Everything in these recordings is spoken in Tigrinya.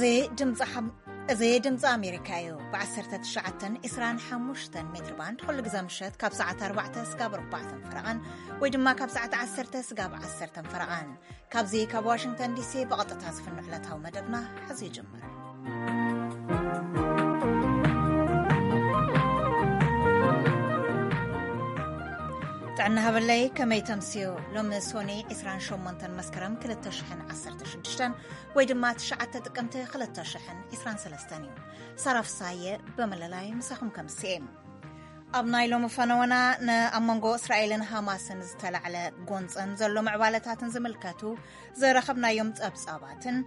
እዚ ድምፂ ሓም-፣ እዚ ድምፂ ኣሜሪካ እዩ። ብ1925 ሜትር ባንድ ኩሉ ግዜ ምሸት ካብ ሰዓት ኣርባዕተ ስጋብ ኣርባዕተን ፈረቓን ወይ ድማ ካብ ሰዓት ዓሰርተ ስጋብ ዓሰርተን ፈረቓን። ካብዚ ካብ ዋሽንግተን ዲሲ ብቐጥታ ዝፍኖ ዕለታዊ መደብና ሕዚ ይጅምር። ጥዕና ሃበለይ፣ ከመይ ተምስዩ? ሎሚ ሶኒ 28 መስከረም 2016 ወይ ድማ 9 ጥቅምቲ 2023 እዩ። ሳራ ፍሳየ በመለላይ ምሳኹም ከምስኤ። ኣብ ናይ ሎሚ ፈነወና፣ ን-፣ ኣብ መንጎ እስራኤልን ሃማስን ዝተላዕለ ጎንፅን ዘሎ ምዕባለታትን ዝምልከቱ ዝረኸብናዮም ጸብጻባትን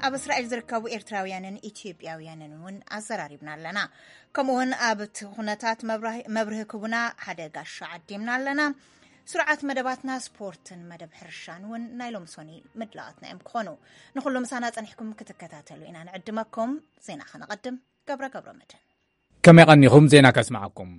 ኣብ እስራኤል ዝርከቡ ኤርትራውያንን ኢትዮጵያውያንን እውን ኣዘራሪብና ኣለና። ከምኡውን ኣብቲ ኩነታት መብራህ-፣ መብርሂ ክቡና ሓደ ጋሻ ዓዲምና ኣለና። ስርዓት መደባትና ስፖርትን መደብ ሕርሻን እውን ናይ ሎም ሶኒ ምድላዋትና እዮም ክኾኑ። ንኹሉ ምሳና ጸኒሕኩም ክትከታተሉ ኢና ንዕድመኩም። ዜና ከነቐድም። ገብረ ገብረ መድህን። ከመይ ቀኒኹም? ዜና ከስምዓኩም።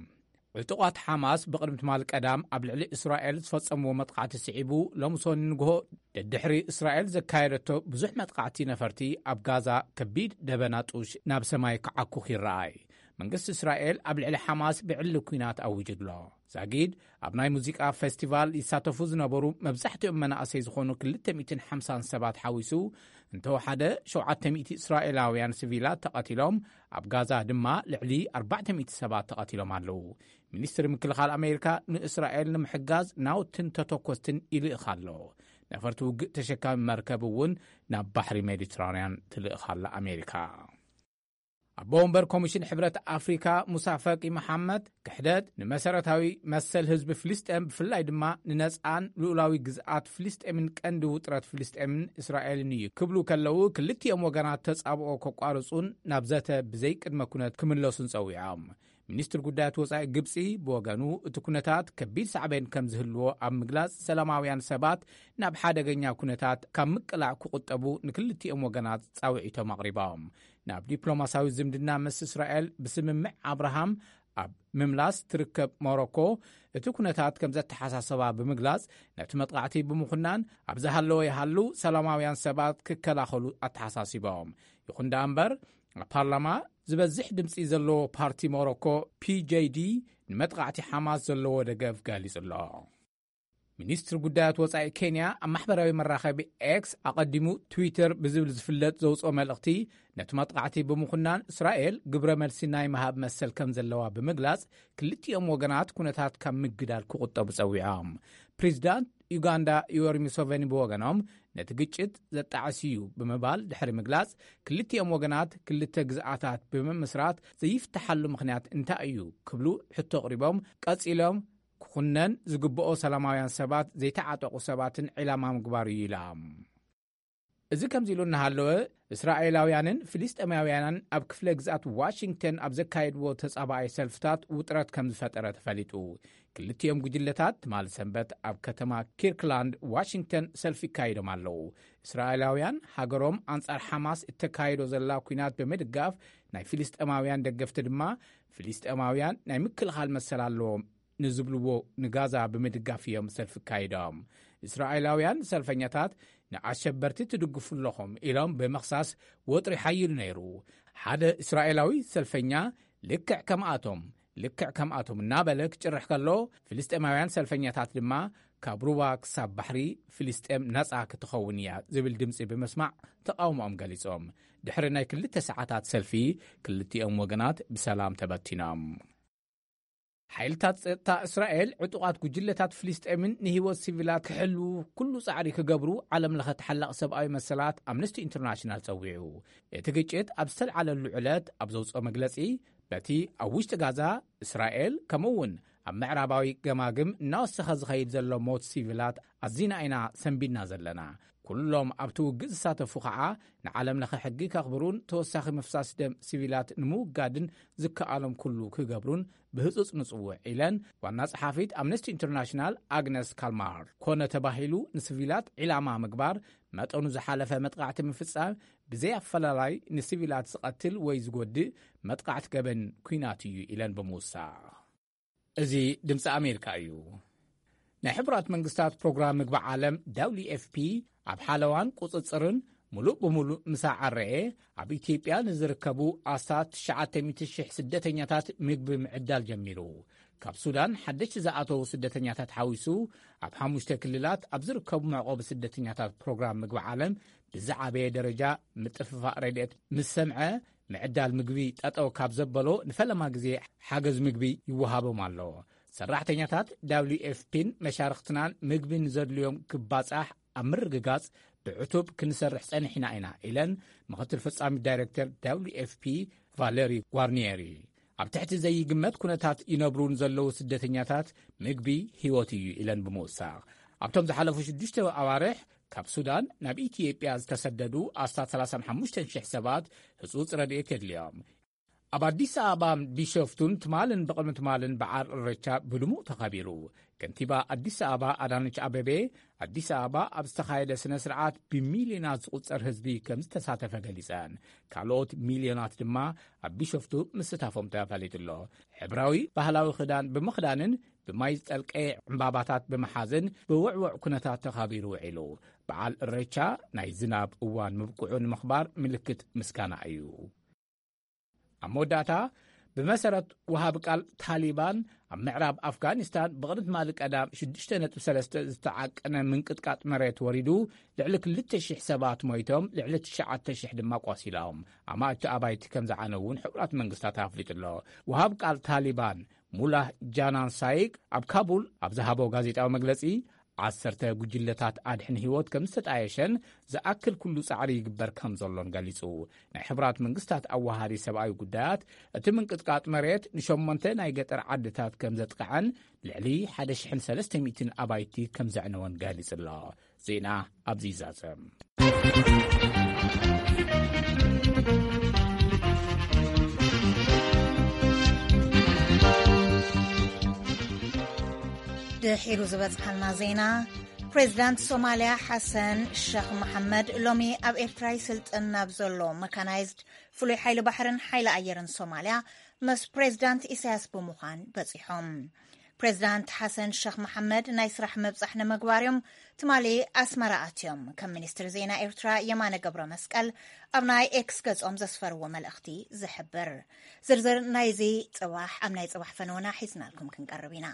ዕጡቓት ሓማስ ብቕድሚ ትማል ቀዳም ኣብ ልዕሊ እስራኤል ዝፈጸምዎ መጥቃዕቲ ስዒቡ፣ ሎም ሶኒ ንግሆ ደድሕሪ እስራኤል ዘካየደቶ ብዙሕ መጥቃዕቲ ነፈርቲ ኣብ ጋዛ ከቢድ ደበና ጡሽ ናብ ሰማይ ክዓኩኽ ይረኣይ። መንግስቲ እስራኤል ኣብ ልዕሊ ሓማስ ብዕሊ ኲናት ኣዊጁ ኣሎ። ዛጊድ ኣብ ናይ ሙዚቃ ፌስቲቫል ይሳተፉ ዝነበሩ መብዛሕትኦም መናእሰይ ዝኾኑ 250 ሰባት ሓዊሱ፣ እንተወሓደ 700 እስራኤላውያን ሲቪላት ተቐቲሎም፣ ኣብ ጋዛ ድማ ልዕሊ 400 ሰባት ተቐቲሎም ኣለዉ። ሚኒስትሪ ምክልኻል ኣሜሪካ ንእስራኤል ንምሕጋዝ ናውትን ተተኮስትን ይልእኽ ኣሎ። ነፈርቲ ውግእ ተሸካሚ መርከብ እውን ናብ ባሕሪ ሜዲትራንያን ትልእኽ ኣላ ኣሜሪካ። ኣቦ ወንበር ኮሚሽን ሕብረት ኣፍሪካ ሙሳ ፈቂ መሓመድ፣ ክሕደት ንመሰረታዊ መሰል ህዝቢ ፍልስጤም፣ ብፍላይ ድማ ንነጻን ልኡላዊ ግዝኣት ፍልስጤምን ቀንዲ ውጥረት ፍልስጤምን እስራኤልን እዩ ክብሉ ከለዉ፣ ክልቲኦም ወገናት ተጻብኦ ከቋርጹን ናብ ዘተ ብዘይ ቅድመ ኩነት ክምለሱን ጸዊዖም። ሚኒስትር ጉዳያት ወጻኢ ግብጺ ብወገኑ፣ እቲ ኩነታት ከቢድ ሳዕቤን ከም ዝህልዎ ኣብ ምግላጽ፣ ሰላማውያን ሰባት ናብ ሓደገኛ ኩነታት ካብ ምቅላዕ ክቑጠቡ ንክልቲኦም ወገናት ጻውዒቶም ኣቕሪቦም። ናብ ዲፕሎማሲያዊ ዝምድና ምስ እስራኤል ብስምምዕ ኣብርሃም ኣብ ምምላስ ትርከብ ሞሮኮ፣ እቲ ኩነታት ከም ዘተሓሳሰባ ብምግላጽ፣ ነቲ መጥቃዕቲ ብምኹናን፣ ኣብ ዝሃለወ ይሃሉ ሰላማውያን ሰባት ክከላኸሉ ኣተሓሳሲቦም። ይኹን ደኣ እምበር፣ ኣብ ፓርላማ ዝበዝሕ ድምጺ ዘለዎ ፓርቲ ሞሮኮ፣ ፒ ጄ ዲ፣ ንመጥቃዕቲ ሓማስ ዘለዎ ደገፍ ገሊጹ ኣሎ። ሚኒስትሪ ጉዳያት ወጻኢ ኬንያ ኣብ ማሕበራዊ መራኸቢ ኤክስ፣ ኣቐዲሙ ትዊተር ብዝብል ዝፍለጥ፣ ዘውጽኦ መልእኽቲ፣ ነቲ መጥቃዕቲ ብምኹናን፣ እስራኤል ግብረ መልሲ ናይ ምሃብ መሰል ከም ዘለዋ ብምግላጽ፣ ክልቲኦም ወገናት ኩነታት ካብ ምግዳል ክቑጠቡ ጸዊዖም። ፕሬዚዳንት ዩጋንዳ ዮወሪ ሙሴቬኒ ብወገኖም፣ ነቲ ግጭት ዘጣዕስ እዩ ብምባል ድሕሪ ምግላጽ፣ ክልቲኦም ወገናት ክልተ ግዝኣታት ብምምስራት ዘይፍትሓሉ ምኽንያት እንታይ እዩ ክብሉ ሕቶ ኣቕሪቦም። ቀጺሎም፣ ክኹነን ዝግብኦ ሰላማውያን ሰባት፣ ዘይተዓጠቑ ሰባትን ዒላማ ምግባር እዩ ኢሎም። እዚ ከምዚ ኢሉ እናሃለወ፣ እስራኤላውያንን ፍልስጤማውያንን ኣብ ክፍለ ግዝኣት ዋሽንግተን ኣብ ዘካየድዎ ተጻባኣይ ሰልፍታት ውጥረት ከም ዝፈጠረ ተፈሊጡ። ክልቲኦም ጉጅለታት ትማሊ ሰንበት ኣብ ከተማ ኪርክላንድ ዋሽንግተን ሰልፊ ይካየዶም ኣለዉ። እስራኤላውያን፣ ሃገሮም ኣንጻር ሓማስ እተካይዶ ዘላ ኲናት ብምድጋፍ፣ ናይ ፍልስጤማውያን ደገፍቲ ድማ፣ ፍልስጤማውያን ናይ ምክልኻል መሰል ኣለዎም ንዝብልዎ ንጋዛ ብምድጋፍ እዮም ሰልፊ ኣካይዶም። እስራኤላውያን ሰልፈኛታት፣ ንኣሸበርቲ ትድግፉ ኣለኹም ኢሎም ብምኽሳስ፣ ወጥሪ ሓይሉ ነይሩ። ሓደ እስራኤላዊ ሰልፈኛ፣ ልክዕ ከምኣቶም፣ ልክዕ ከምኣቶም እናበለ ክጭርሕ ከሎ፣ ፍልስጤማውያን ሰልፈኛታት ድማ፣ ካብ ሩባ ክሳብ ባሕሪ ፍልስጤም ነጻ ክትኸውን እያ ዝብል ድምጺ ብምስማዕ፣ ተቓውሞኦም ገሊጾም። ድሕሪ ናይ ክልተ ሰዓታት ሰልፊ፣ ክልቲኦም ወገናት ብሰላም ተበቲኖም። ሓይልታት ጸጥታ እስራኤል፣ ዕጡቓት ጉጅለታት ፍልስጤምን ንህይወት ሲቪላት ክሕልዉ ኩሉ ጻዕሪ ክገብሩ፣ ዓለም ለኸ ተሓላቒ ሰብኣዊ መሰላት ኣምነስቲ ኢንተርናሽናል ጸዊዑ። እቲ ግጭት ኣብ ዝተልዓለሉ ዕለት ኣብ ዘውጽኦ መግለጺ፣ በቲ ኣብ ውሽጢ ጋዛ፣ እስራኤል፣ ከምኡ እውን ኣብ ምዕራባዊ ገማግም እናወሰኸ ዝኸይድ ዘሎ ሞት ሲቪላት ኣዚና ኢና ሰንቢድና ዘለና። ኩሎም ኣብቲ ውግእ ዝሳተፉ ኸዓ፣ ንዓለም ለኸ ሕጊ ከኽብሩን ተወሳኺ ምፍሳስ ደም ሲቪላት ንምውጋድን ዝከኣሎም ኩሉ ክገብሩን ብህጹጽ ንጽውዕ ኢለን ዋና ጸሓፊት ኣምነስቲ ኢንተርናሽናል ኣግነስ ካልማር። ኮነ ተባሂሉ ንሲቪላት ዒላማ ምግባር፣ መጠኑ ዝሓለፈ መጥቃዕቲ ምፍጻም፣ ብዘይ ኣፈላላይ ንሲቪላት ዝቐትል ወይ ዝጎድእ መጥቃዕቲ ገበን ኲናት እዩ ኢለን ብምውሳኽ። እዚ ድምፂ ኣሜሪካ እዩ። ናይ ሕቡራት መንግስታት ፕሮግራም ምግቢ ዓለም፣ ዳብሊዩ ኤፍ ፒ፣ ኣብ ሓለዋን ቁፅፅርን ሙሉእ ብሙሉእ ምስ ኣዐረየ፣ ኣብ ኢትዮጵያ ንዝርከቡ ኣስታት ትሽዓተ ሚእቲ ሽሕ ስደተኛታት ምግቢ ምዕዳል ጀሚሩ። ካብ ሱዳን ሓደሽቲ ዝኣተዉ ስደተኛታት ሓዊሱ፣ ኣብ ሓሙሽተ ክልላት ኣብ ዝርከቡ መዕቆቢ ስደተኛታት ፕሮግራም ምግቢ ዓለም ብዝዓበየ ደረጃ ምጥፍፋእ ረድኤት ምስ ሰምዐ፣ ምዕዳል ምግቢ ጠጠው ካብ ዘበሎ ንፈለማ ግዜ ሓገዝ ምግቢ ይወሃቦም ኣሎ። ሰራሕተኛታት ደብሊው ኤፍ ፒን መሻርኽትናን ምግቢ ንዘድልዮም ክባጻሕ ኣብ ምርግጋጽ ብዕቱብ ክንሰርሕ ጸኒሕና ኢና ኢለን ምኽትል ፈጻሚ ዳይሬክተር ደብሊው ኤፍ ፒ ቫለሪ ጓርኒየሪ። ኣብ ትሕቲ ዘይግመት ኩነታት ይነብሩ ንዘለዉ ስደተኛታት ምግቢ ህይወት እዩ ኢለን ብምውሳኽ፣ ኣብቶም ዝሓለፉ ሽዱሽተ ኣዋርሕ ካብ ሱዳን ናብ ኢትዮጵያ ዝተሰደዱ ኣስታት ሰላሳን ሓሙሽተን ሽሕ ሰባት ህጹጽ ረድኤት የድልዮም። ኣብ ኣዲስ ኣበባን ቢሾፍቱን ትማልን ብቕድሚ ትማልን በዓል እረቻ ብድሙቕ ተኸቢሩ። ከንቲባ ኣዲስ ኣበባ ኣዳነች ኣቤቤ፣ ኣዲስ ኣበባ ኣብ ዝተኻየደ ስነ ስርዓት ብሚልዮናት ዝቑጸር ህዝቢ ከም ዝተሳተፈ ገሊጸን፣ ካልኦት ሚልዮናት ድማ ኣብ ቢሾፍቱ ምስታፎም ተፈሊጡ ኣሎ። ሕብራዊ ባህላዊ ክዳን ብምኽዳንን ብማይ ዝጠልቀየ ዕምባባታት ብምሓዝን ብውዕውዕ ኩነታት ተኻቢሩ ውዒሉ። በዓል እሬቻ ናይ ዝናብ እዋን ምብቅዑ ንምኽባር ምልክት ምስጋና እዩ። ኣብ መወዳእታ፣ ብመሰረት ወሃቢ ቃል ታሊባን፣ ኣብ ምዕራብ ኣፍጋኒስታን ብቕድሚ ትማሊ ቀዳም ሽዱሽተ ነጥቢ ሰለስተ ዝተዓቀነ ምንቅጥቃጥ መሬት ወሪዱ፣ ልዕሊ ክልተ ሽሕ ሰባት ሞይቶም፣ ልዕሊ ትሽዓተ ሽሕ ድማ ቆሲሎም። ኣማእቲ ኣባይቲ ከም ዝዓነው እውን ሕቡራት መንግስታት ኣፍሊጡ ኣሎ። ወሃብ ቃል ታሊባን ሙላህ ጃናን ሳይግ ኣብ ካቡል ኣብ ዝሃቦ ጋዜጣዊ መግለጺ፣ ዓሰርተ ጉጅለታት ኣድሕን ህይወት ከም ዝተጣየሸን ዝኣክል ኩሉ ጻዕሪ ይግበር ከም ዘሎን ገሊጹ። ናይ ሕቡራት መንግስታት ኣዋሃዲ ሰብኣዊ ጉዳያት፣ እቲ ምንቅጥቃጥ መሬት ንሸሞንተ ናይ ገጠር ዓድታት ከም ዘጥቅዐን ልዕሊ ሓደ ሽሕን ሰለስተ ሚእትን ኣባይቲ ከም ዘዕነወን ገሊጹ ኣሎ። ዜና ኣብዚ ይዛዘም። ድሒሩ ዝበጽሓና ዜና፣ ፕሬዚዳንት ሶማልያ ሓሰን ሸኽ መሓመድ ሎሚ ኣብ ኤርትራ ይስልጥን ናብ ዘሎ መካናይዝድ ፍሉይ ሓይሊ ባሕርን ሓይሊ ኣየርን ሶማልያ ምስ ፕሬዚዳንት ኢሳያስ ብምዃን በጺሖም። ፕሬዚዳንት ሓሰን ሸኽ መሓመድ ናይ ስራሕ ምብጻሕ ንምግባር እዮም ትማሊ ኣስመራ ኣትዮም። ከም ሚኒስትር ዜና ኤርትራ የማነ ገብረ መስቀል ኣብ ናይ ኤክስ ገጾም ዘስፈርዎ መልእኽቲ ዝሕብር። ዝርዝር ናይዚ ጽባሕ ኣብ ናይ ጽባሕ ፈነወና ሒዝናልኩም ክንቀርብ ኢና።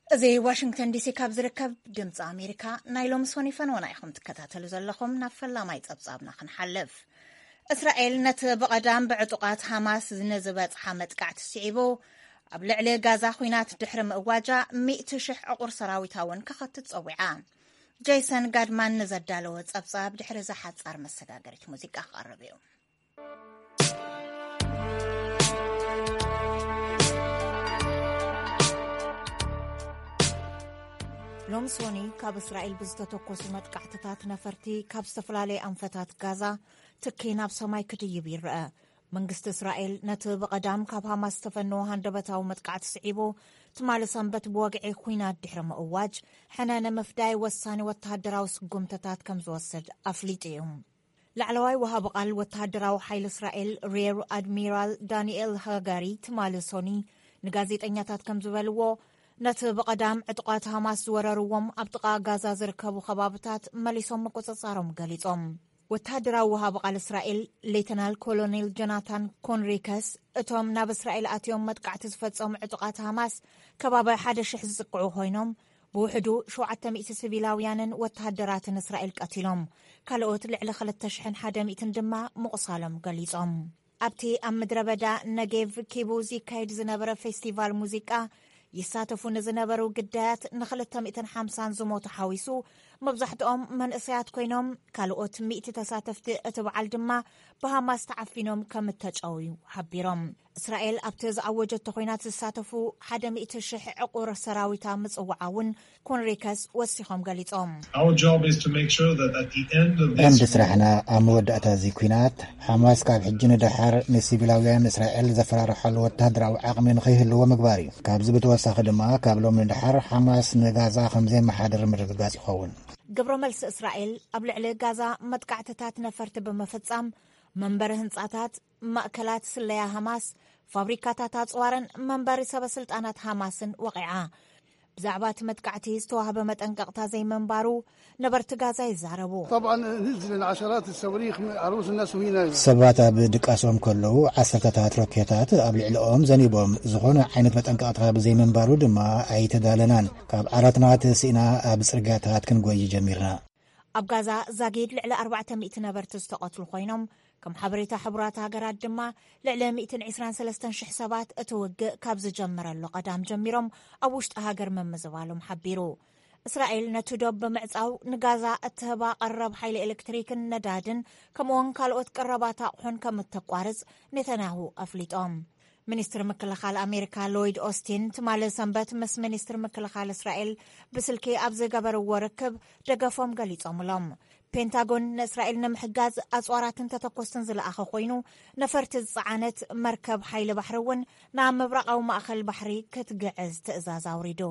እዚ ዋሽንግተን ዲሲ ካብ ዝርከብ ድምፂ ኣሜሪካ ናይ ሎሚ ሶኒ ፈነወና ኢኹም ትከታተሉ ዘለኹም። ናብ ፈላማይ ጸብጻብና ክንሓልፍ። እስራኤል ነቲ ብቐዳም ብዕጡቓት ሃማስ ንዝበጽሓ መጥቃዕቲ ስዒቡ፣ ኣብ ልዕሊ ጋዛ ኲናት ድሕሪ ምእዋጃ፣ ሚእቲ ሽሕ ዕቑር ሰራዊታ እውን ከኸትት ጸዊዓ። ጄሰን ጋድማን ንዘዳለወ ጸብጻብ ድሕሪ እዛ ሓጻር መሰጋገሪት ሙዚቃ ክቐርብ እዩ። ሎም ሶኒ ካብ እስራኤል ብዝተተኮሱ መጥቃዕትታት ነፈርቲ ካብ ዝተፈላለየ ኣንፈታት ጋዛ ትኪ ናብ ሰማይ ክድይብ ይረአ። መንግስቲ እስራኤል ነቲ ብቐዳም ካብ ሃማስ ዝተፈነወ ሃንደበታዊ መጥቃዕቲ ስዒቡ፣ ትማሊ ሰንበት ብወግዒ ኲናት ድሕሪ ምእዋጅ፣ ሕነ ንምፍዳይ ወሳኒ ወተሃደራዊ ስጉምትታት ከም ዝወስድ ኣፍሊጡ እዩ። ላዕለዋይ ወሃቢ ቃል ወተሃደራዊ ሓይሊ እስራኤል ሬር ኣድሚራል ዳንኤል ሃጋሪ ትማሊ ሶኒ ንጋዜጠኛታት ከም ዝበልዎ፣ ነቲ ብቐዳም ዕጡቓት ሃማስ ዝወረርዎም ኣብ ጥቓ ጋዛ ዝርከቡ ከባብታት መሊሶም ምቁጽጻሮም ገሊጾም። ወተሃደራዊ ወሃቢ ቃል እስራኤል ሌተናል ኮሎኔል ጆናታን ኮንሪከስ፣ እቶም ናብ እስራኤል ኣትዮም መጥቃዕቲ ዝፈጸሙ ዕጡቓት ሃማስ ከባቢ ሓደ ሽሕ ዝጽቅዑ ኮይኖም፣ ብውሕዱ ሸውዓተ ሚእቲ ሲቪላውያንን ወተሃደራትን እስራኤል ቀቲሎም፣ ካልኦት ልዕሊ ክልተ ሽሕን ሓደ ሚእትን ድማ ምቑሳሎም ገሊጾም። ኣብቲ ኣብ ምድረ በዳ ነጌቭ ኪቡዝ ይካየድ ዝነበረ ፌስቲቫል ሙዚቃ ይሳተፉ ንዝነበሩ ግዳያት ንክልተ ሚእትን ሓምሳን ዝሞቱ ሓዊሱ፣ መብዛሕትኦም መንእሰያት ኮይኖም፣ ካልኦት ሚእቲ ተሳተፍቲ እቲ በዓል ድማ ብሃማስ ተዓፊኖም ከም እተጨውዩ ሓቢሮም። እስራኤል ኣብቲ ዝኣወጀቶ ኲናት ዝሳተፉ ሓደ ሚእቲ ሽሕ ዕቑር ሰራዊታ ምጽዋዓ እውን ኮንሪከስ ወሲኾም ገሊጾም። Our job is to make sure that at the end of ቀንዲ this ስራሕና ኣብ መወዳእታ እዚ ኲናት፣ ሓማስ ካብ ሕጂ ንደሓር ንሲቪላውያን እስራኤል ዘፈራርሓሉ ወተሃደራዊ ዓቕሚ ንኸይህልዎ ምግባር እዩ። ካብዚ ብተወሳኺ ድማ፣ ካብ ሎም ንደሓር ሓማስ ንጋዛ ከም ዘየመሓድር ምርግጋጽ ይኸውን። ግብረ መልሲ እስራኤል ኣብ ልዕሊ ጋዛ መጥቃዕትታት ነፈርቲ ብምፍጻም፣ መንበሪ ህንጻታት፣ ማእከላት ስለያ ሃማስ፣ ፋብሪካታት ኣጽዋርን መንበሪ ሰበ ስልጣናት ሃማስን ወቒዓ። ብዛዕባ እቲ መጥቃዕቲ ዝተዋህበ መጠንቀቕታ ዘይምንባሩ ነበርቲ ጋዛ ይዛረቡ። طبعا نزل عشرات الصواريخ على رؤوس الناس وهنا ሰባት ኣብ ድቃሶም ከለዉ ዓሰርተታት ሮኬታት ኣብ ልዕሊኦም ዘኒቦም፣ ዝኾነ ዓይነት መጠንቀቕታ ብዘይምንባሩ ድማ ኣይተዳለናን። ካብ ዓራትና ተሲእና ኣብ ጽርግያታት ክንጎይ ጀሚርና። ኣብ ጋዛ ዛጊድ ልዕሊ ኣርባዕተ ሚእቲ ነበርቲ ዝተቐትሉ ኮይኖም፣ ከም ሓበሬታ ሕቡራት ሃገራት ድማ ልዕሊ ሚእትን ዕስራን ሰለስተን ሽሕ ሰባት እቲ ውግእ ካብ ዝጀመረሉ ቀዳም ጀሚሮም ኣብ ውሽጢ ሃገር ምምዝባሎም ሓቢሩ። እስራኤል ነቲ ዶብ ብምዕጻው ንጋዛ እትህባ ቀረብ ሓይሊ ኤሌክትሪክን ነዳድን ከምኡውን ካልኦት ቀረባት ኣቑሑን ከም እተቋርጽ ኔታንያሁ ኣፍሊጦም። ሚኒስትር ምክልኻል ኣሜሪካ ሎይድ ኦስቲን ትማሊ ሰንበት ምስ ሚኒስትር ምክልኻል እስራኤል ብስልኪ ኣብ ዝገበርዎ ርክብ ደገፎም ገሊጾምሎም። ፔንታጎን ንእስራኤል ንምሕጋዝ ኣጽዋራትን ተተኮስትን ዝለኣኸ ኮይኑ፣ ነፈርቲ ዝጸዓነት መርከብ ሓይሊ ባሕሪ እውን ናብ ምብራቓዊ ማእኸል ባሕሪ ክትግዕዝ ትእዛዝ ኣውሪዱ።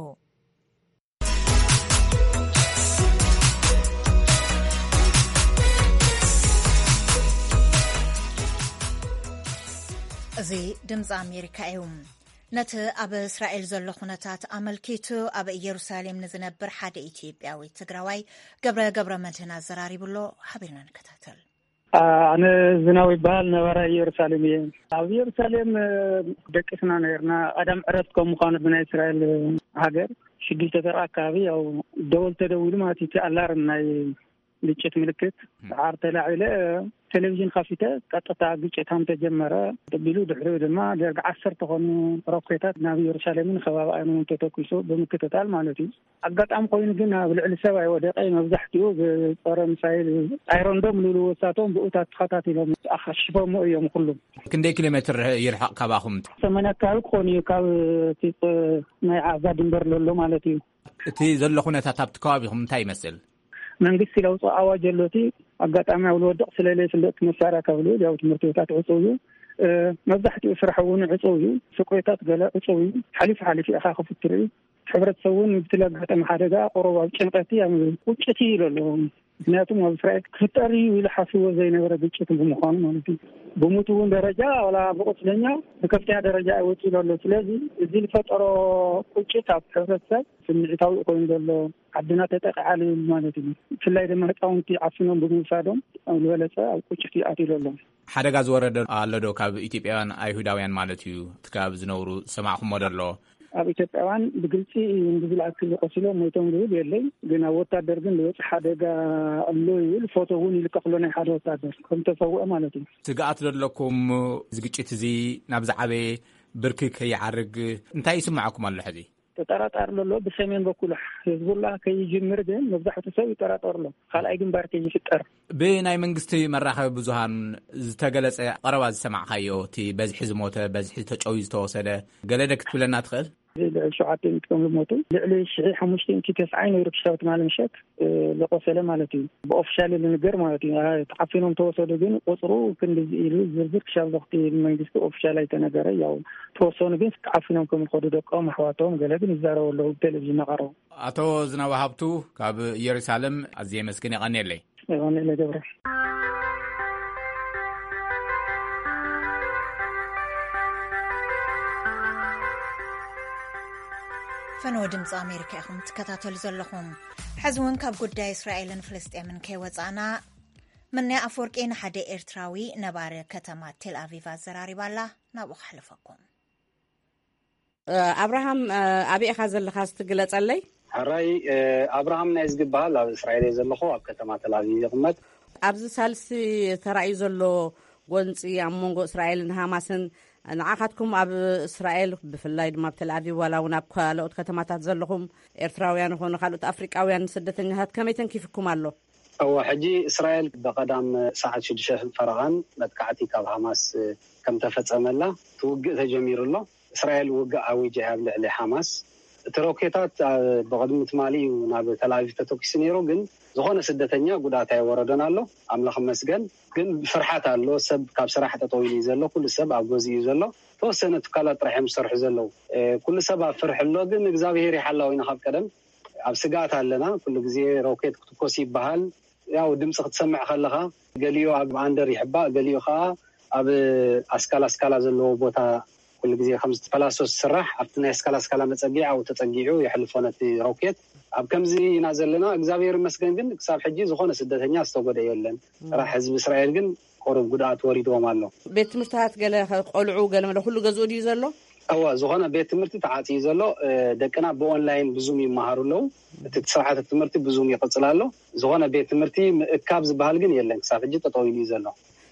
እዚ ድምፂ ኣሜሪካ እዩ። ነቲ ኣብ እስራኤል ዘሎ ኩነታት ኣመልኪቱ ኣብ ኢየሩሳሌም ንዝነብር ሓደ ኢትዮጵያዊ ትግራዋይ ገብረ ገብረ መድህን ኣዘራሪቡ ኣሎ። ሓቢርና ንከታተል። ኣነ ዝናው ይበሃል፣ ነባራይ ኢየሩሳሌም እየ። ኣብ ኢየሩሳሌም ደቂስና ነርና። ቀዳም ዕረፍቲ ከም ምዃኑ ብናይ እስራኤል ሃገር ሽዱሽተ ሰዓት ኣካባቢ ያው ደወል ተደዊሉ ማለት እዩ። እቲ ኣላርም ናይ ግጭት ምልክት ሰዓር ተላዒለ፣ ቴሌቪዥን ከፊተ ቀጥታ ግጭት ከም ተጀመረ ተቢሉ፣ ድሕሪኡ ድማ ደርጊ ዓሰርተ ኮኑ ሮኬታት ናብ ኢየሩሳሌምን ከባቢኣን እውን ተተኩሱ ብምክትታል ማለት እዩ። ኣጋጣሚ ኮይኑ ግን ኣብ ልዕሊ ሰብ ኣይወደቀ። መብዛሕትኡ ብጸረ ሚሳይል ኣይረንዶም ልብልዎ እሳቶም ብኡታት ተኸታቲሎም ኣኻሽፎሞ እዮም ኩሉም። ክንደይ ኪሎ ሜትር ይርሕቕ ካባኹም? ሰማንያ ኣካባቢ ክኾን እዩ ካብ እቲ ናይ ዓዛ ድንበር ዘሎ ማለት እዩ። እቲ ዘሎ ኩነታት ኣብቲ ከባቢኹም እንታይ ይመስል? መንግስቲ ለውፅኦ ኣዋጅ ኣሎ። እቲ ኣጋጣሚ ኣብ ዝወድቕ ስለለ ፍለጥ መሳርያ ካብ ልብል ያው ትምህርቲ ቤታት ዕፁው እዩ። መብዛሕትኡ ስራሕ እውን ዕፁው እዩ። ሱቅ ቤታት ገለ ዕፁው እዩ። ሓሊፉ ሓሊፉ ኢኻ ክፍትር እዩ። ሕብረተሰብ እውን ብቲ ለጋጠመ ሓደጋ ቁሩብ ኣብ ጭንቀቲ ኣብ ቁጭት እዩ ኢሉ ኣሎ። ምክንያቱም ኣብ እስራኤል ክፍጠር እዩ ኢሉ ሓስቦ ዘይነበረ ግጭት ብምዃኑ ማለት እዩ። ብሙት እውን ደረጃ ዋላ ብቁስለኛ ብከፍተኛ ደረጃ ይወፅእ ኢሉ ኣሎ። ስለዚ እዚ ዝፈጠሮ ቁጭት ኣብ ሕብረተሰብ ስምዒታዊ ኮይኑ ዘሎ ዓድና ተጠቂዓ ልብል ማለት እዩ። ብፍላይ ድማ ህፃውንቲ ዓፊኖም ብምውሳዶም ዝበለፀ ኣብ ቁጭት ይኣትዩ ኣሎ። ሓደጋ ዝወረደ ኣሎ ዶ ካብ ኢትዮጵያውያን ኣይሁዳውያን ማለት እዩ? እቲ ከባቢ ዝነብሩ ዝሰማዕኹሞ ዶ ኣሎ? ኣብ ኢትዮጵያውያን ብግልፂ ብዝለኣክል ቆሲሎም ሞይቶም ዝብል የለይ። ግን ኣብ ወታደር ግን ዝበፅሕ ሓደጋ ኣሎ ይብል ፎቶ እውን ይልቀቅሎ ናይ ሓደ ወታደር ከም ተሰውአ ማለት እዩ። ስግኣት ዶ ኣለኩም? እዚ ግጭት እዚ ናብ ዝዓበየ ብርኪ ከይዓርግ እንታይ ይስምዓኩም ኣሎ ሕዚ? ተጠራጣሪ ዘሎ ብሰሜን በኩል ህዝቡላ ከይጅምር ግን መብዛሕቱ ሰብ ይጠራጠር ኣሎ። ካልኣይ ግንባር ከይፍጠር። ብናይ መንግስቲ መራኸቢ ብዙሃን ዝተገለጸ ቀረባ ዝሰማዕካዮ እቲ በዝሒ ዝሞተ፣ በዝሒ ተጨውዩ ዝተወሰደ ገለ ደ ክትብለና ትኽእል? ልዕሊ ሸውዓተ ሚእቲ ከም ዝሞቱ ልዕሊ ሽሕ ሓሙሽተ ሚእቲ ተስዓይ ነይሩ ክሻብ ትማሊ ምሸት ዝቆሰለ ማለት እዩ። ብኦፊሻል ዝንገር ማለት እዩ። ተዓፊኖም ተወሰዱ ግን ቁፅሩ ክንድዚ ኢሉ ዝርዝር ክሻብ ዞክቲ መንግስቲ ኦፊሻል ኣይተነገረ። ያው ተወሰኑ ግን ተዓፊኖም ከም ዝኸዱ ደቆም ኣሕዋቶም ገለ ግን ይዛረቡ ኣለዉ ብቴሌቪዥን እናቐረቡ። ኣቶ ዝናቡ ሃብቱ ካብ ኢየሩሳሌም ኣዝየ የመስግን። የቐንየለይ። የቐንየለይ ገብረ። ፈነወ ድምፂ ኣሜሪካ ኢኹም ትከታተሉ ዘለኹም። ሕዚ እውን ካብ ጉዳይ እስራኤልን ፍልስጤምን ከይወፃእና፣ ምንያ ኣፈወርቂ ንሓደ ኤርትራዊ ነባሪ ከተማ ቴል ኣቪቭ ኣዘራሪባ ኣላ። ናብኡ ከሕልፈኩም። ኣብርሃም፣ ኣበይ ኢኻ ዘለኻ? እስቲ ግለጸለይ። ሕራይ፣ ኣብርሃም ናይ ዝግበሃል ኣብ እስራኤል እየ ዘለኹ፣ ኣብ ከተማ ተላቪቭ ይቕመጥ። ኣብዚ ሳልሲ ተራእዩ ዘሎ ጎንፂ ኣብ መንጎ እስራኤልን ሃማስን ንዓኻትኩም ኣብ እስራኤል ብፍላይ ድማ ኣብ ተልኣቪቭ ዋላ እውን ኣብ ካልኦት ከተማታት ዘለኹም ኤርትራውያን ይኹኑ ካልኦት ኣፍሪቃውያን ስደተኛታት ከመይ ተንኪፍኩም ኣሎ? እወ፣ ሕጂ እስራኤል ብቐዳም ሰዓት ሽዱሽተ ፈረቓን መጥቃዕቲ ካብ ሃማስ ከም ተፈጸመላ እቲ ውግእ ተጀሚሩ ኣሎ። እስራኤል ውግእ ኣዊጃ እያ ኣብ ልዕሊ ሓማስ። እቲ ሮኬታት ብቕድሚ ትማሊ እዩ ናብ ተልኣቪቭ ተተኪሱ ነይሩ፣ ግን ዝኾነ ስደተኛ ጉድኣት ኣይወረደን ኣሎ። ኣምላኽ ይመስገን። ግን ፍርሓት ኣሎ። ሰብ ካብ ስራሕ ጠጠው ኢሉ እዩ ዘሎ። ኩሉ ሰብ ኣብ ገዝኡ እዩ ዘሎ። ተወሰነ ትካላት ጥራሕ እዮም ዝሰርሑ ዘለዉ። ኩሉ ሰብ ኣብ ፍርሒ ኣሎ፣ ግን እግዚኣብሄር ይሓላው ኢና ካብ ቀደም። ኣብ ስግኣት ኣለና። ኩሉ ግዜ ሮኬት ክትኮስ ይበሃል። ያው ድምፂ ክትሰምዕ ከለኻ ገሊኡ ኣብ ኣንደር ይሕባእ፣ ገሊኡ ከዓ ኣብ ኣስካላ ኣስካላ ዘለዎ ቦታ ኩሉ ግዜ ከምዚ ፓላሶ ዝስራሕ ኣብቲ ናይ ስካላ ስካላ መጸጊዕ ኣብኡ ተጸጊዑ የሕልፎ ነቲ ሮኬት። ኣብ ከምዚ ኢና ዘለና። እግዚኣብሔር ይመስገን ግን ክሳብ ሕጂ ዝኾነ ስደተኛ ዝተጎደ የለን። ጥራሕ ህዝቢ እስራኤል ግን ቁሩብ ጉድኣት ወሪድዎም ኣሎ። ቤት ትምህርትታት ገለ፣ ቆልዑ ገለ መለ ኩሉ ገዝኡ ድዩ ዘሎ? እወ፣ ዝኾነ ቤት ትምህርቲ ተዓጽዩ ዘሎ። ደቅና ብኦንላይን ብዙም ይመሃሩ ኣለዉ። እቲ ስርዓተ ትምህርቲ ብዙም ይቕጽል ኣሎ። ዝኾነ ቤት ትምህርቲ ምእካብ ዝበሃል ግን የለን። ክሳብ ሕጂ ጠጠው ኢሉ እዩ ዘሎ።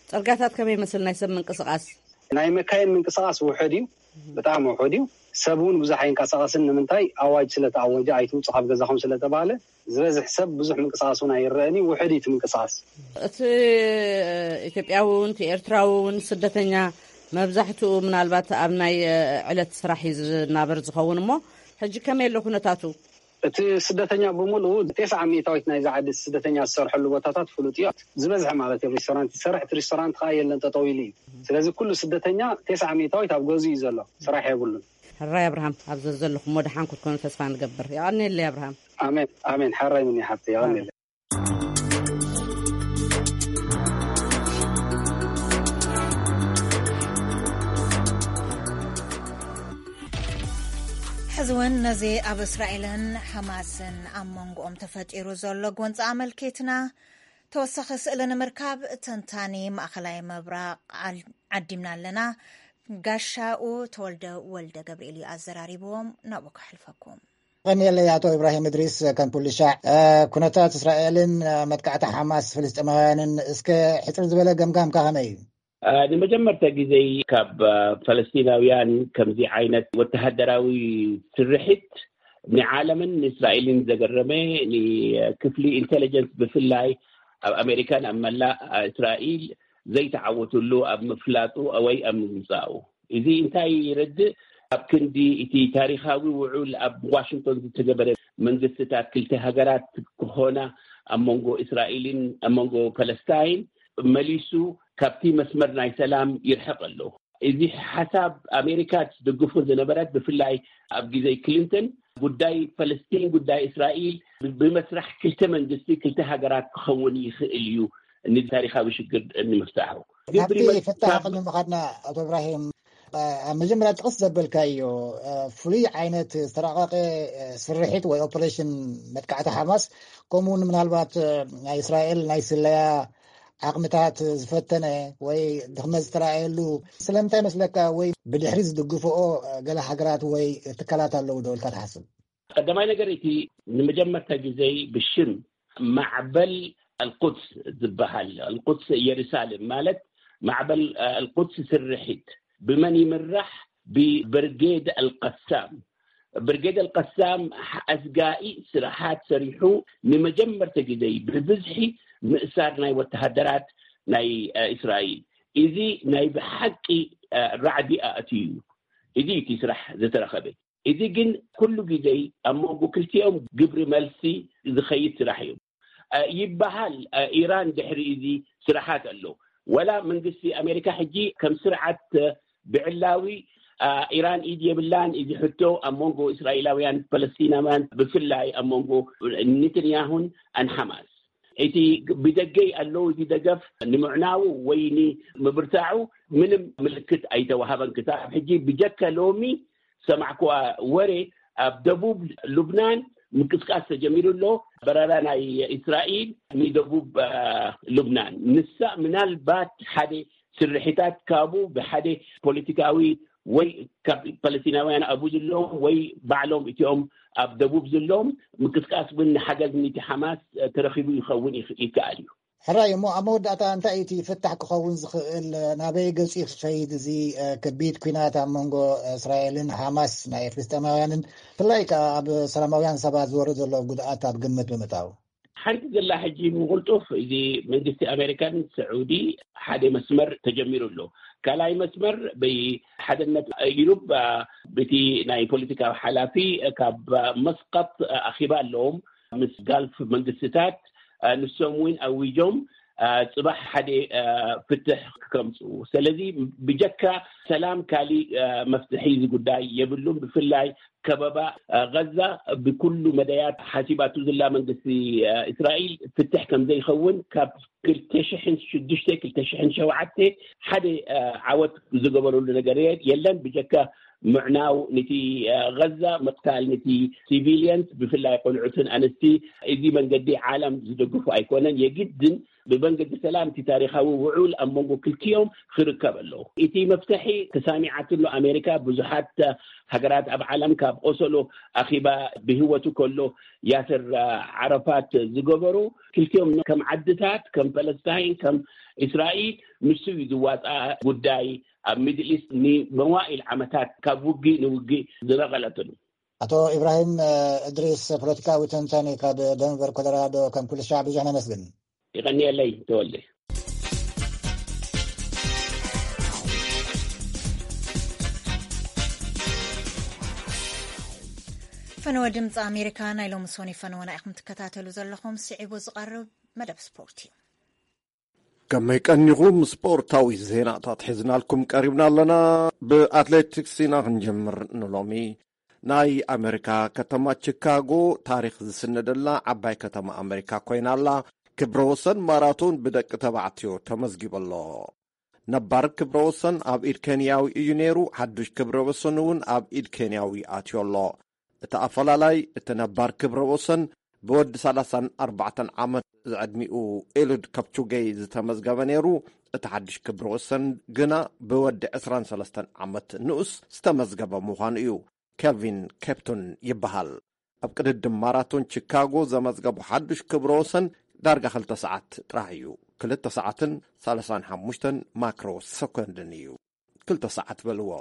ጸርጋታት ከመይ ይመስል ናይ ሰብ ምንቅስቃስ? ናይ መካይን ምንቅስቃስ ውሑድ እዩ። ብጣዕሚ ውሑድ እዩ። ሰብ እውን ብዙሕ ኣይንቀሳቀስን። ንምንታይ? ኣዋጅ ስለተኣወጀ፣ ኣይትውፁ ካብ ገዛኹም ስለተባለ ዝበዝሕ ሰብ ብዙሕ ምንቅስቃስ እውን ኣይረአን እዩ። ውሑድ እዩ እቲ ምንቅስቃስ። እቲ ኢትዮጵያዊ እውን እቲ ኤርትራዊ እውን ስደተኛ መብዛሕትኡ ምናልባት ኣብ ናይ ዕለት ስራሕ እዩ ዝናበር ዝኸውን። እሞ ሕጂ ከመይ ኣሎ ኩነታቱ? እቲ ስደተኛ ብምሉኡ ተስዓ ሚእታዊት ናይዚ ዓዲ ስደተኛ ዝሰርሐሉ ቦታታት ፍሉጥ እዩ። ዝበዝሐ ማለት እዩ ሬስቶራንት ይሰርሕ። እቲ ሬስቶራንት ከዓ የለን፣ ጠጠው ኢሉ እዩ። ስለዚ ኩሉ ስደተኛ ተስዓ ሚእታዊት ኣብ ገዙ እዩ ዘሎ፣ ስራሕ የብሉን። ሕራይ ኣብርሃም፣ ኣብ ዘለኹም ወደሓን ክትኮኑ ተስፋ ንገብር። የቐንየለይ ኣብርሃም። ኣሜን ኣሜን። ሓራይ ምን ሓብቲ፣ የቐንየለይ። ሕዚ እውን ነዚ ኣብ እስራኤልን ሓማስን ኣብ መንጎኦም ተፈጢሩ ዘሎ ጎንፂ ኣመልኪትና ተወሳኺ ስእሊ ንምርካብ ተንታኒ ማእኸላይ ምብራቕ ዓዲምና ኣለና። ጋሻኡ ተወልደ ወልደ ገብርኤል እዩ ኣዘራሪብዎም። ናብኡ ከሕልፈኩም። ቀኒየለይ ኣቶ ኢብራሂም እድሪስ። ከም ኩሉ ሻዕ ኩነታት እስራኤልን መጥቃዕቲ ሓማስ ፍልስጤማውያንን እስከ ሕፅር ዝበለ ገምጋምካ ከመይ እዩ? ንመጀመርታ ግዜ ካብ ፈለስቲናውያን ከምዚ ዓይነት ወተሃደራዊ ስርሒት ንዓለምን ንእስራኤልን ዘገረመ፣ ንክፍሊ ኢንቴሊጀንስ ብፍላይ ኣብ ኣሜሪካን ኣብ መላእ እስራኤል ዘይተዓወትሉ ኣብ ምፍላጡ ወይ ኣብ ምምፃኡ። እዚ እንታይ ይረድእ? ኣብ ክንዲ እቲ ታሪኻዊ ውዑል ኣብ ዋሽንግቶን ዝተገበረ መንግስትታት ክልተ ሃገራት ክኾና ኣብ መንጎ እስራኤልን ኣብ መንጎ ፈለስታይን መሊሱ ካብቲ መስመር ናይ ሰላም ይርሕቕ ኣሎ። እዚ ሓሳብ ኣሜሪካ ትድግፎ ዝነበረት ብፍላይ ኣብ ግዜ ክሊንተን ጉዳይ ፈለስቲን ጉዳይ እስራኤል ብመስራሕ ክልተ መንግስቲ ክልተ ሃገራት ክኸውን ይኽእል እዩ ንታሪኻዊ ሽግር ንምፍታሑ። ግብሪ ናብቲ ፍታሕ ቅድሚ ምኻድና ኣቶ እብራሂም ኣብ መጀመርያ ጥቕስ ዘበልካዮ ፍሉይ ዓይነት ዝተራቐቐ ስርሒት ወይ ኦፐሬሽን መጥቃዕቲ ሓማስ ከምኡውን ምናልባት ናይ እስራኤል ናይ ስለያ ዓቕምታት ዝፈተነ ወይ ድኽመት ዝተረኣየሉ ስለምንታይ መስለካ? ወይ ብድሕሪ ዝድግፍኦ ገለ ሃገራት ወይ ትካላት ኣለዉ ዶ ኢልካ ትሓስብ? ቀዳማይ ነገር እቲ ንመጀመርታ ግዜ ብሽም ማዕበል ኣልቁድስ ዝበሃል ኣልቁድስ ኢየሩሳሌም ማለት ማዕበል ኣልቁድስ ስርሒት ብመን ይምራሕ? ብብርጌድ ኣልቀሳም። ብርጌድ ኣልቀሳም ኣስጋኢ ስራሓት ሰሪሑ ንመጀመርታ ግዜ ብብዝሒ ምእሳር ናይ ወተሃደራት ናይ እስራኤል። እዚ ናይ ብሓቂ ራዕዲ ኣእትዩ እዩ። እዚ እቲ ስራሕ ዝተረኸበ። እዚ ግን ኩሉ ግዜ ኣብ መንጎ ክልቲኦም ግብሪ መልሲ ዝኸይድ ስራሕ እዩ። ይበሃል። ኢራን ድሕሪ እዚ ስራሓት ኣሎ። ወላ መንግስቲ ኣሜሪካ ሕጂ ከም ስርዓት ብዕላዊ ኢራን ኢድ የብላን። እዚ ሕቶ ኣብ መንጎ እስራኤላውያን ፓለስቲናውያን ብፍላይ ኣብ መንጎ ኔተንያሁን ኣን ሓማስ እቲ ብደገይ ኣለዉ እዚ ደገፍ ንምዕናዉ ወይ ንምብርታዑ ምንም ምልክት ኣይተዋሃበን ክሳብ ሕጂ ብጀካ ሎሚ ዝሰማዕኩዋ ወረ ኣብ ደቡብ ሉብናን ምንቅስቃስ ተጀሚሩ ኣሎ። በረራ ናይ እስራኤል ንደቡብ ሉብናን ንሳ ምናልባት ሓደ ስርሒታት ካብኡ ብሓደ ፖለቲካዊ ወይ ካብ ፓለስቲናውያን ኣብኡ ዘለዎም ወይ ባዕሎም እቲኦም ኣብ ደቡብ ዘለዎም ምንቅስቃስ እውን ንሓገዝ ንቲ ሓማስ ተረኪቡ ይኸውን ይከኣል እዩ። ሕራይ እሞ ኣብ መወዳእታ እንታይ እቲ ፍታሕ ክኸውን ዝኽእል? ናበይ ገፂ ክኸይድ እዚ ከቢድ ኲናት ኣብ መንጎ እስራኤልን ሓማስ ናይ ፍልስጤማውያንን ብፍላይ ከዓ ኣብ ሰላማውያን ሰባት ዝወርድ ዘሎ ጉድኣት ኣብ ግምት ብምእታው? ሓንቲ ዘላ ሕጂ ምቕልጡፍ እዚ መንግስቲ ኣሜሪካን ስዑዲ ሓደ መስመር ተጀሚሩ ኣሎ። ካልኣይ መስመር ብሓድነት ኢሩብ ብቲ ናይ ፖለቲካዊ ሓላፊ ካብ መስቀጥ ኣኺባ ኣለዎም ምስ ጋልፍ መንግስትታት ንሶም እውን ኣዊጆም አ፣ ጽባሕ ሓደ፣ አ፣ ፍትሕ ከምጽኡ። ስለዚ ብጀካ ሰላም ካሊእ፣ አ፣ መፍትሒ እዚ ጉዳይ የብሉን። ብፍላይ ከበባ፣ አ፣ ገዛ ብኩሉ መዳያት ሓሲባቱ ዝላ መንግስቲ፣ አ፣ እስራኤል ፍትሕ ከም ዘይኸውን ካብ ክልተ ሽሕን ሽዱሽተ ክልተ ሽሕን ሸውዓተ ሓደ፣ አ፣ ዓወት ዝገበረሉ ነገር የ-፣ የለን። ብጀካ ምዕናው ንቲ፣ አ፣ ገዛ፣ ምቕታል ንቲ ሲቪሊየንስ፣ ብፍላይ ቆልዑትን ኣንስቲ፣ እዚ መንገዲ ዓለም ዝደግፉ ኣይኮነን። የግድን ብመንገዲ ሰላም እቲ ታሪኻዊ ውዑል ኣብ መንጎ ክልቲኦም ክርከብ ኣለዎ። እቲ መፍትሒ ተሳሚዓትሉ ኣሜሪካ፣ ብዙሓት ሃገራት ኣብ ዓለም ካብ ኦሰሎ ኣኺባ ብህይወቱ ከሎ ያስር ዓረፋት ዝገበሩ፣ ክልቲኦም ከም ዓድታት፣ ከም ፓለስታይን፣ ከም እስራኤል፣ ንሱ እዩ ዝዋፃ ጉዳይ። ኣብ ሚድል ኢስት ንመዋኢል ዓመታት ካብ ውግእ ንውግእ ዝነቐለትሉ። ኣቶ ኢብራሂም፣ እ፣ እድሪስ፣ ፖለቲካዊ ተንታኒ ካብ ደንቨር ኮሎራዶ፣ ከም ኩሉ ሻዕ ብዙሕ ነመስግን። ይቐንየለይ ተወልደ። ፈነወ ድምፂ ኣሜሪካ ናይ ሎሚ ሶኒ ፈነወና ኢኹም ትከታተሉ ዘለኹም። ስዒቡ ዝቐርብ መደብ ስፖርት እዩ። ከመይ ቀኒኹም? ስፖርታዊ ዜናታት ሒዝናልኩም ቀሪብና ኣለና። ብኣትሌቲክስ ኢና ክንጀምር ንሎሚ። ናይ ኣሜሪካ ከተማ ቺካጎ ታሪኽ ዝስነደላ ዓባይ ከተማ ኣሜሪካ ኮይና ኣላ። ክብረ ወሰን ማራቶን ብደቂ ተባዕትዮ ተመዝጊቡ ኣሎ። ነባር ክብረ ወሰን ኣብ ኢድ ኬንያዊ እዩ ነይሩ። ሓዱሽ ክብረ ወሰን እውን ኣብ ኢድ ኬንያዊ ኣትዮ ኣሎ። እቲ ኣፈላላይ፣ እቲ ነባር ክብረ ወሰን ብወዲ ሰላሳን ኣርባዕተን ዓመት ዝዕድሚኡ ኤሉድ ከፕቹገይ ዝተመዝገበ ነይሩ። እቲ ሓድሽ ክብረ ወሰን ግና ብወዲ ዕስራን ሰለስተን ዓመት ንኡስ ዝተመዝገበ ምዃኑ እዩ። ኬልቪን ኬፕቶን ይበሃል። ኣብ ቅድድም ማራቶን ቺካጎ ዘመዝገቡ ሓድሽ ክብረ ወሰን ዳርጋ ክልተ ሰዓት ጥራሕ እዩ። ክልተ ሰዓትን ሰላሳን ሓሙሽተን ማክሮ ሰኮንድን እዩ። ክልተ ሰዓት በልዎ።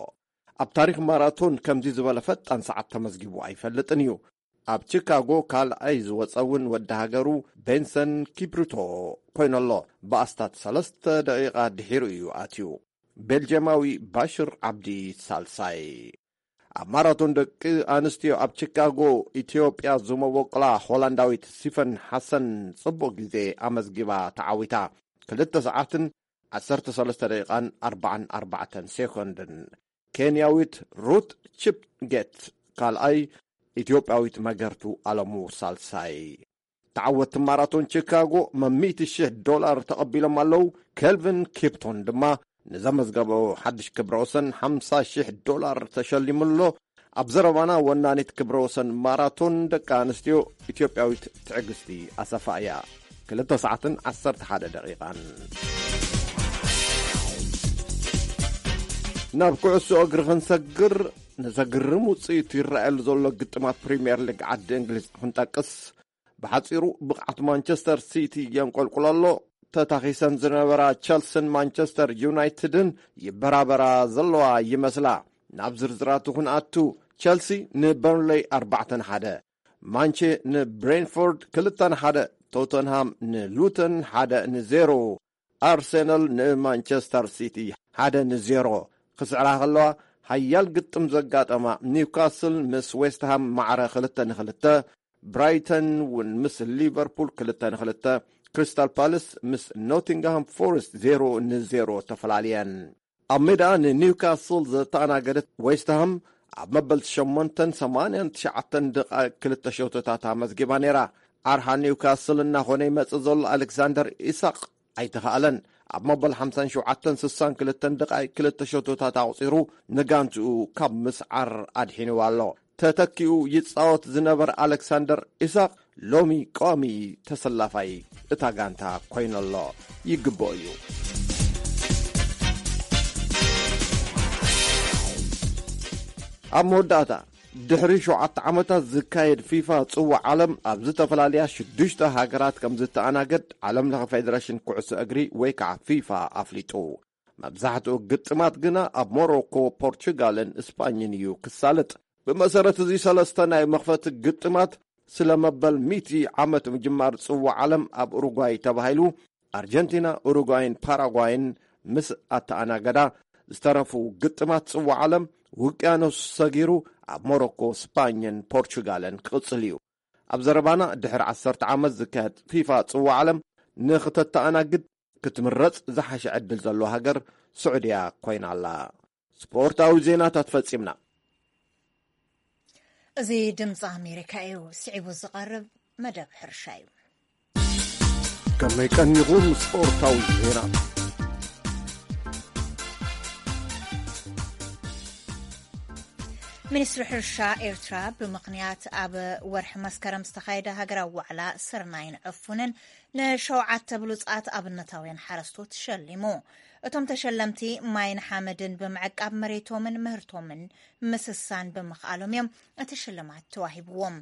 ኣብ ታሪኽ ማራቶን ከምዚ ዝበለ ፈጣን ሰዓት ተመዝጊቡ ኣይፈልጥን እዩ። ኣብ ቺካጎ ካልኣይ ዝወጸ እውን ወዲ ሃገሩ ቤንሰን ኪፕሩቶ ኮይኑ ኣሎ። ብኣስታት ሰለስተ ደቂቓ ድሒሩ እዩ ኣትዩ። ቤልጅየማዊ ባሽር ዓብዲ ሳልሳይ። ኣብ ማራቶን ደቂ ኣንስትዮ ኣብ ቺካጎ ኢትዮጵያ ዝመበቆላ ሆላንዳዊት ሲፈን ሓሰን ጽቡቕ ግዜ ኣመዝጊባ ተዓዊታ። ክልተ ሰዓትን ዓሰርተ ሰለስተ ደቂቓን ኣርባዓን ኣርባዕተን ሴኮንድን። ኬንያዊት ሩት ቺፕጌት ካልኣይ፣ ኢትዮጵያዊት መገርቱ ኣለሙ ሳልሳይ። ተዓወትቲ ማራቶን ቺካጎ መሚእቲ ሽሕ ዶላር ተቐቢሎም ኣለዉ። ኬልቪን ኪፕቶን ድማ ንዘመዝገበ ሓድሽ ክብረ ወሰን ሓምሳ ሽሕ ዶላር ተሸሊሙ ኣሎ። ኣብ ዘረባና ወናኒት ክብረ ወሰን ማራቶን ደቂ ኣንስትዮ ኢትዮጵያዊት ትዕግስቲ ኣሰፋ እያ። ክልተ ሰዓትን ዓሰርተ ሓደ ደቂቓን። ናብ ኩዕሶ እግሪ ክንሰግር፣ ንዘግርም ውጽኢት ይረኣየሉ ዘሎ ግጥማት ፕሪምየር ሊግ ዓዲ እንግሊዝ ክንጠቅስ፣ ብሓጺሩ ብቕዓት ማንቸስተር ሲቲ የንቆልቁሎ ኣሎ። ተታኺሰን ዝነበራ ቸልስን ማንቸስተር ዩናይትድን ይበራበራ ዘለዋ ይመስላ። ናብ ዝርዝራቱ ክንኣቱ፣ ቸልሲ ንበርንሌይ ኣርባዕተ ንሓደ፣ ማንቼ ንብሬንፎርድ ክልተ ንሓደ፣ ቶተንሃም ንሉተን ሓደ ንዜሮ፣ ኣርሴናል ንማንቸስተር ሲቲ ሓደ ንዜሮ ክስዕራ ከለዋ፣ ሓያል ግጥም ዘጋጠማ ኒውካስል ምስ ዌስትሃም ማዕረ ክልተ ንክልተ፣ ብራይተን እውን ምስ ሊቨርፑል ክልተ ንክልተ፣ ክሪስታል ፓለስ ምስ ኖቲንግሃም ፎረስት ዜሮ ንዜሮ ተፈላልየን። ኣብ ሜዳ ንኒውካስል ዘተኣናገደት ዌስትሃም ኣብ መበል ሸሞንተን ሰማንያን ትሽዓተን ደቓይቕ ክልተ ሸቶታት ኣመዝጊባ ነይራ። ኣርሓ ኒውካስል እናኾነ ይመጽእ ዘሎ ኣሌክሳንደር ኢሳቕ ኣይተኻእለን። ኣብ መበል ሓምሳን ሸውዓተን ስሳን ክልተን ደቓይቕ ክልተ ሸቶታት ኣቑጺሩ ንጋንትኡ ካብ ምስዓር ኣድሒንዋ ኣሎ። ተተኪኡ ይጻወት ዝነበረ ኣሌክሳንደር ኢሳቕ ሎሚ ቀዋሚ ተሰላፋይ እታ ጋንታ ኮይነሎ ይግብኦ እዩ። ኣብ መወዳእታ፣ ድሕሪ ሸውዓተ ዓመታት ዝካየድ ፊፋ ጽዋዕ ዓለም ኣብ ዝተፈላለያ ሽዱሽተ ሃገራት ከም ዝተኣናገድ ዓለም ለኸ ፌደሬሽን ኩዕሶ እግሪ ወይ ከዓ ፊፋ ኣፍሊጡ። መብዛሕትኡ ግጥማት ግና ኣብ ሞሮኮ፣ ፖርቹጋልን እስጳኝን እዩ ክሳለጥ። ብመሰረት እዚ ሰለስተ ናይ መኽፈቲ ግጥማት ስለ መበል ሚእቲ ዓመት ምጅማር ጽዋዕ ዓለም ኣብ ኡሩጓይ ተባሂሉ፣ ኣርጀንቲና፣ ኡሩጓይን ፓራጓይን ምስ ኣተኣናገዳ፣ ዝተረፉ ግጥማት ጽዋዕ ዓለም ውቅያኖስ ሰጊሩ ኣብ ሞሮኮ፣ ስፓኝን ፖርቹጋልን ክቕጽል እዩ። ኣብ ዘረባና፣ ድሕሪ ዓሰርተ ዓመት ዝካየድ ፊፋ ጽዋዕ ዓለም ንኽተተኣናግድ ክትምረጽ ዝሓሸ ዕድል ዘለዎ ሃገር ስዑድያ ኮይና ኣላ። ስፖርታዊ ዜናታት ፈጺምና። እዚ ድምፂ ኣሜሪካ እዩ። ስዒቡ ዝቐርብ መደብ ሕርሻ እዩ። ከመይ ቀኒኹም? ስፖርታዊ ዜና። ሚኒስትሪ ሕርሻ ኤርትራ ብምኽንያት ኣብ ወርሒ መስከረም ዝተኻየደ ሃገራዊ ዋዕላ ስርናይን ዕፉንን ንሸውዓተ ብሉጻት ኣብነታውያን ሓረስቶት ሸሊሙ። እቶም ተሸለምቲ ማይን ሓመድን ብምዕቃብ መሬቶምን ምህርቶምን ምስሳን ብምኽኣሎም እዮም እቲ ሽልማት ተዋሂብዎም።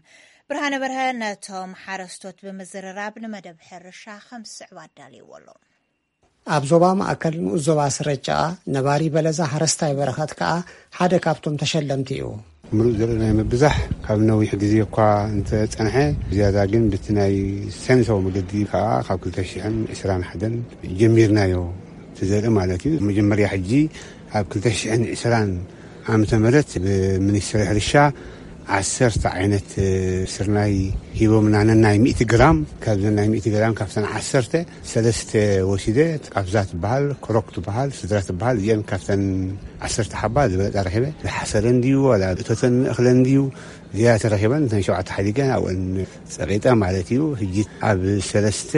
ብርሃነ በርሀ ነቶም ሓረስቶት ብምዝርራብ ንመደብ ሕርሻ ከም ዝስዕብ ኣዳልይዎ ኣሎ። ኣብ ዞባ ማእከል ንኡስ ዞባ ስረጫ ነባሪ በለዛ ሓረስታይ በረኸት ከኣ ሓደ ካብቶም ተሸለምቲ እዩ። ምሉእ ዘርኢ ናይ ምብዛሕ ካብ ነዊሕ ግዜ እኳ እንተጸንሐ፣ ዝያዳ ግን በቲ ናይ ሳይንሳዊ መገዲ ከኣ ካብ ክልተ ሽሕን ዕስራን ሓደን ጀሚርናዮ። እቲ ዘርኢ ማለት እዩ። መጀመርያ ሕጂ ኣብ ክልተ ሽሕን ዕስራን ዓመተ ምህረት ብሚኒስትሪ ሕርሻ ዓሰርተ ዓይነት ስርናይ ሂቦምና፣ ነናይ ሚእቲ ግራም። ካብዘን ናይ ሚእቲ ግራም ካብተን ዓሰርተ ሰለስተ ወሲደ፣ ቃብዛ ትበሃል፣ ክሮክ ትበሃል፣ ስድራ ትበሃል። እዚአን ካብተን ዓሰርተ ሓባ ዝበለፃ ረኺበ። ዝሓሰረ እንድዩ ዋላ እቶተን እኽለን እንድዩ ዝያዳ ተረኺበን፣ እተን ሸውዓተ ሓዲገ ኣብአን ፀቂጠ ማለት እዩ። ሕጂ ኣብ ሰለስተ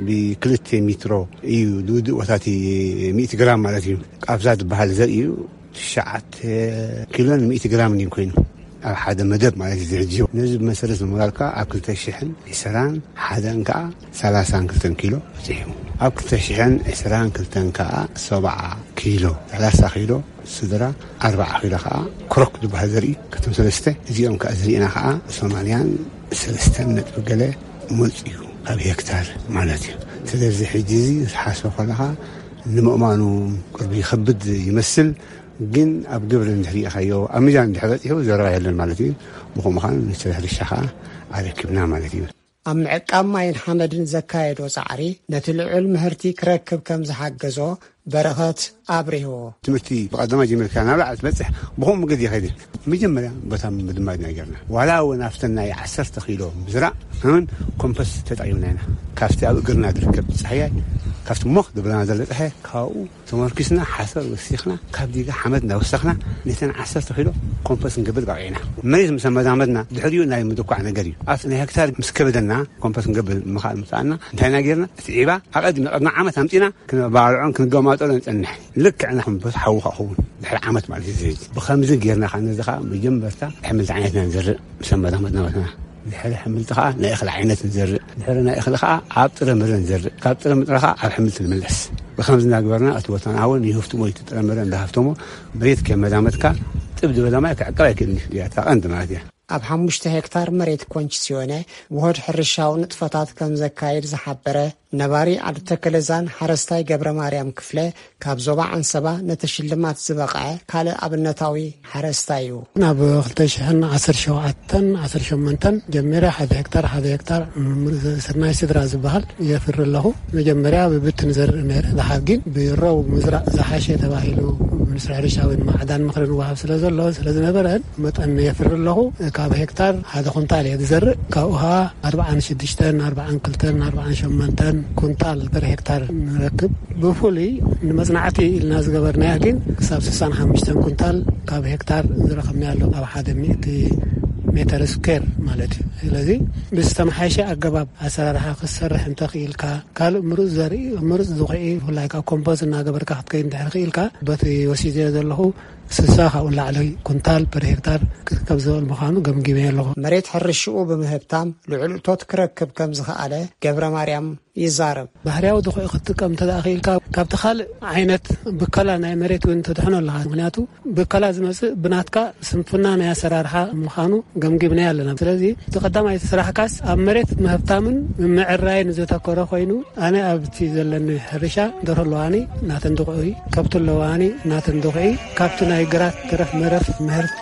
ብክልተ ሜትሮ እዩ ዝውድእ፣ ቦታቲ ሚእቲ ግራም ማለት እዩ። ቃብዛ ዝበሃል ዘርኢ እዩ። ትሽዓተ ኪሎን ሚእቲ ግራምን እዩ ኮይኑ ኣብ ሓደ መደብ ማለት እዩ ዝሕጂ። ነዚ ብመሰረት ንምባል ከዓ ኣብ ክልተ ሽሕን ዕስራን ሓደን ከዓ ሰላሳን ክልተን ኪሎ በፂሑ። ኣብ ክልተ ሽሕን ዕስራን ክልተን ከዓ ሰብዓ ኪሎ፣ ሰላሳ ኪሎ ስድራ፣ ኣርባዓ ኪሎ ከዓ ክሮክ ዝበሃል ዘርኢ። ካብቶም ሰለስተ እዚኦም ከዓ ዝርኢና ከዓ ሰማንያን ሰለስተን ነጥቢ ገለ መፂኡ ካብ ሄክታር ማለት እዩ። ስለዚ ሕጂ እዚ ዝሓስቦ ከለኻ ንምእማኑ ቅርቢ ይኸብድ ይመስል፣ ግን ኣብ ግብሪ እንድሕር ርኢኻዮ፣ ኣብ ሚዛን እንድሕር በፂሑ ዘረባ የለን ማለት እዩ። ብኸምኡ ከዓ ንስራሕ ሕርሻ ከዓ ኣረኪብና ማለት እዩ። ኣብ ምዕቃብ ማይን ሓመድን ዘካየዶ ጻዕሪ ነቲ ልዑል ምህርቲ ክረክብ ከም ዝሓገዞ በረኸት ኣብሪሁ። ትምህርቲ ብቐዳማይ ጀሚርካ ናብ ላዕሊ ትበጽሕ ብኸምኡ መገዲ ይኸይድ። መጀመርያ ቦታ ምድማድ ኢና ጌርና። ዋላ እውን ኣብተን ናይ ዓሰርተ ኪሎ ምዝራእ እውን ኮምፐስ ተጠቒምና ኢና። ካብቲ ኣብ እግርና ዝርከብ ጻህያይ፣ ካብቲ ሞኽ ዝብለና ዘሎ ጻህያይ፣ ካብኡ ተመርኪስና ሓሰር ወሲኽና፣ ካብ ዲጋ ሓመድ እናወሰኽና፣ ነተን ዓሰርተ ኪሎ ኮምፖስት ክንገብር በቒዕና። መሬት ምስ ኣመዳመድና፣ ድሕሪኡ ናይ ምድኳዕ ነገር እዩ። ኣብ ናይ ሄክታር ምስ ከበደና፣ ኮምፖስት ክንገብር ምኽኣል ምስ ከኣልና፣ እንታይ ኢና ጌርና? እቲ ዒባ ኣቐዲምና፣ ቅድሚ ዓመት ኣምጺና፣ ክነባልዖን ክንገማጠሎን ንጸንሕ። ልክዕ ንኮምፖስት ሓዊ ክኸውን፣ ድሕሪ ዓመት ማለት እዩ። እዚ ብኸምዚ ጌርና ኸዓ፣ ነዚ ኸዓ መጀመርታ ኣሕምልቲ ዓይነት ኢና ንዘርእ፣ ምስ ኣመዳመድና ማለት ኢና። ድሕሪ ኣሕምልቲ ኸዓ ናይ እኽሊ ዓይነት ንዘርእ። ድሕሪ ናይ እኽሊ ኸዓ ኣብ ጥረ ምረ ንዘርእ። ካብ ጥረ ምረ ኸዓ ኣብ ኣሕምልቲ ንምለስ። ብኸምዚ እናገበርና እቲ ቦታና እውን ይህፍትሞ፣ እቲ ጥረ ምረ እንዳሃፍተሞ መሬት ከየመዳመድካ ጥብ ዝበለ ማይ ክዕቀብ ኣይክእልን እዩ። እዚኣ እታ ቀንዲ ማለት እያ። ኣብ ሓሙሽተ ሄክታር መሬት ኮንች ሲዮነ ውሁድ ሕርሻዊ ንጥፈታት ከም ዘካይድ ዝሓበረ ነባሪ ዓዲ ተከለዛን ሓረስታይ ገብረ ማርያም ክፍለ፣ ካብ ዞባ ዓንሰባ ነቲ ሽልማት ዝበቕዐ ካልእ ኣብነታዊ ሓረስታይ እዩ። ናብ ክልተ ሽሕን ዓሰርተ ሸውዓተን ዓሰርተ ሸሞንተን ጀሚረ ሓደ ሄክታር፣ ሓደ ሄክታር ስርናይ ስድራ ዝበሃል የፍሪ ኣለኹ። መጀመርያ ብብትን ዘርኢ ነይረ፣ ድሓር ግን ብረው ምዝራእ ዝሓሸ ተባሂሉ ሚኒስትሪ ሕርሻ ወይ ማዕዳን ምኽሪ ንወሃብ ስለ ዘሎ፣ ስለ ዝነበረ መጠን የፍሪ ኣለኹ። ካብ ሄክታር ሓደ ኩንታል እየ ዝዘርእ። ካብኡ ኸዓ ኣርብዓን ሽዱሽተን፣ ኣርብዓን ክልተን፣ ኣርብዓን ሸሞንተን ኩንታል ፐር ሄክታር ንረክብ። ብፍሉይ ንመጽናዕቲ ኢልና ዝገበርናያ ግን ክሳብ ስሳን ሓሙሽተን ኩንታል ካብ ሄክታር ዝረኸብናያ ኣሎ፣ ኣብ ሓደ ሚእቲ ሜተር ስኩዌር ማለት እዩ። ስለዚ ብዝተመሓየሸ ኣገባብ ኣሰራርሓ ክትሰርሕ እንተኽኢልካ፣ ካልእ ምሩፅ ዘርኢ፣ ምሩፅ ዝኹዒ፣ ብፍላይ ካብ ኮምፖስት እናገበርካ ክትከይድ እንድሕር ክኢልካ፣ በቲ ወሲደዮ ዘለኹ ስሳ ካብኡ ንላዕሊ ኩንታል ፐር ሄክታር ክርከብ ዝኽእል ምዃኑ ገምጊመ ኣለኹ። መሬት ሕርሽኡ ብምህብታም ልዑል እቶት ክረክብ ከም ዝኸኣለ ገብረ ማርያም ይዛረብ። ባህርያዊ ድኹዒ ክትጥቀም እንተ ደኣ ክኢልካ፣ ካብቲ ካልእ ዓይነት ብከላ ናይ መሬት እውን ተድሕኖ ኣለኻ። ምኽንያቱ ብከላ ዝመጽእ ብናትካ ስንፍና ናይ ኣሰራርሓ ምዃኑ ገምጊምናዮ ኣለና። ስለዚ እቲ ቀዳማይ እቲ ስራሕካስ ኣብ መሬት ምህብታምን ምምዕራይን ዘተኮረ ኮይኑ፣ ኣነ ኣብቲ ዘለኒ ሕርሻ ደርሆ ኣለዋኒ፣ ናተን ድኹዒ፣ ከብቲ ኣለዋኒ፣ ናተን ድኹዒ፣ ካብቲ ናይ ግራት ተረፍ መረፍ ምህርቲ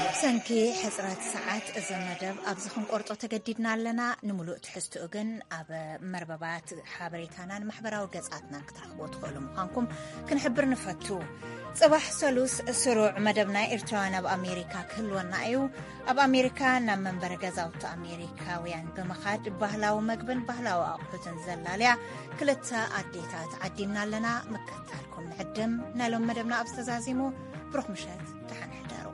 ብሰንኪ ሕጽረት ሰዓት እዚ መደብ ኣብዚ ክንቆርጦ ተገዲድና ኣለና። ንምሉእ ትሕዝትኡ ግን ኣብ መርበባት ሓበሬታናን ማሕበራዊ ገጻትናን ክትረኽቦ ትኽእሉ ምዃንኩም ክንሕብር ንፈቱ። ጽባሕ ሰሉስ ስሩዕ መደብ ናይ ኤርትራውያን ኣብ ኣሜሪካ ክህልወና እዩ። ኣብ ኣሜሪካ ናብ መንበሪ ገዛውቲ ኣሜሪካውያን ብምኻድ ባህላዊ መግብን ባህላዊ ኣቑሑትን ዘላልያ ክልተ ኣዴታት ዓዲምና ኣለና። ምክትታልኩም ንዕድም። ናይ ሎም መደብና ኣብ ዝተዛዚሙ። ብሩኽ ምሸት፣ ደሓን ሕደሩ።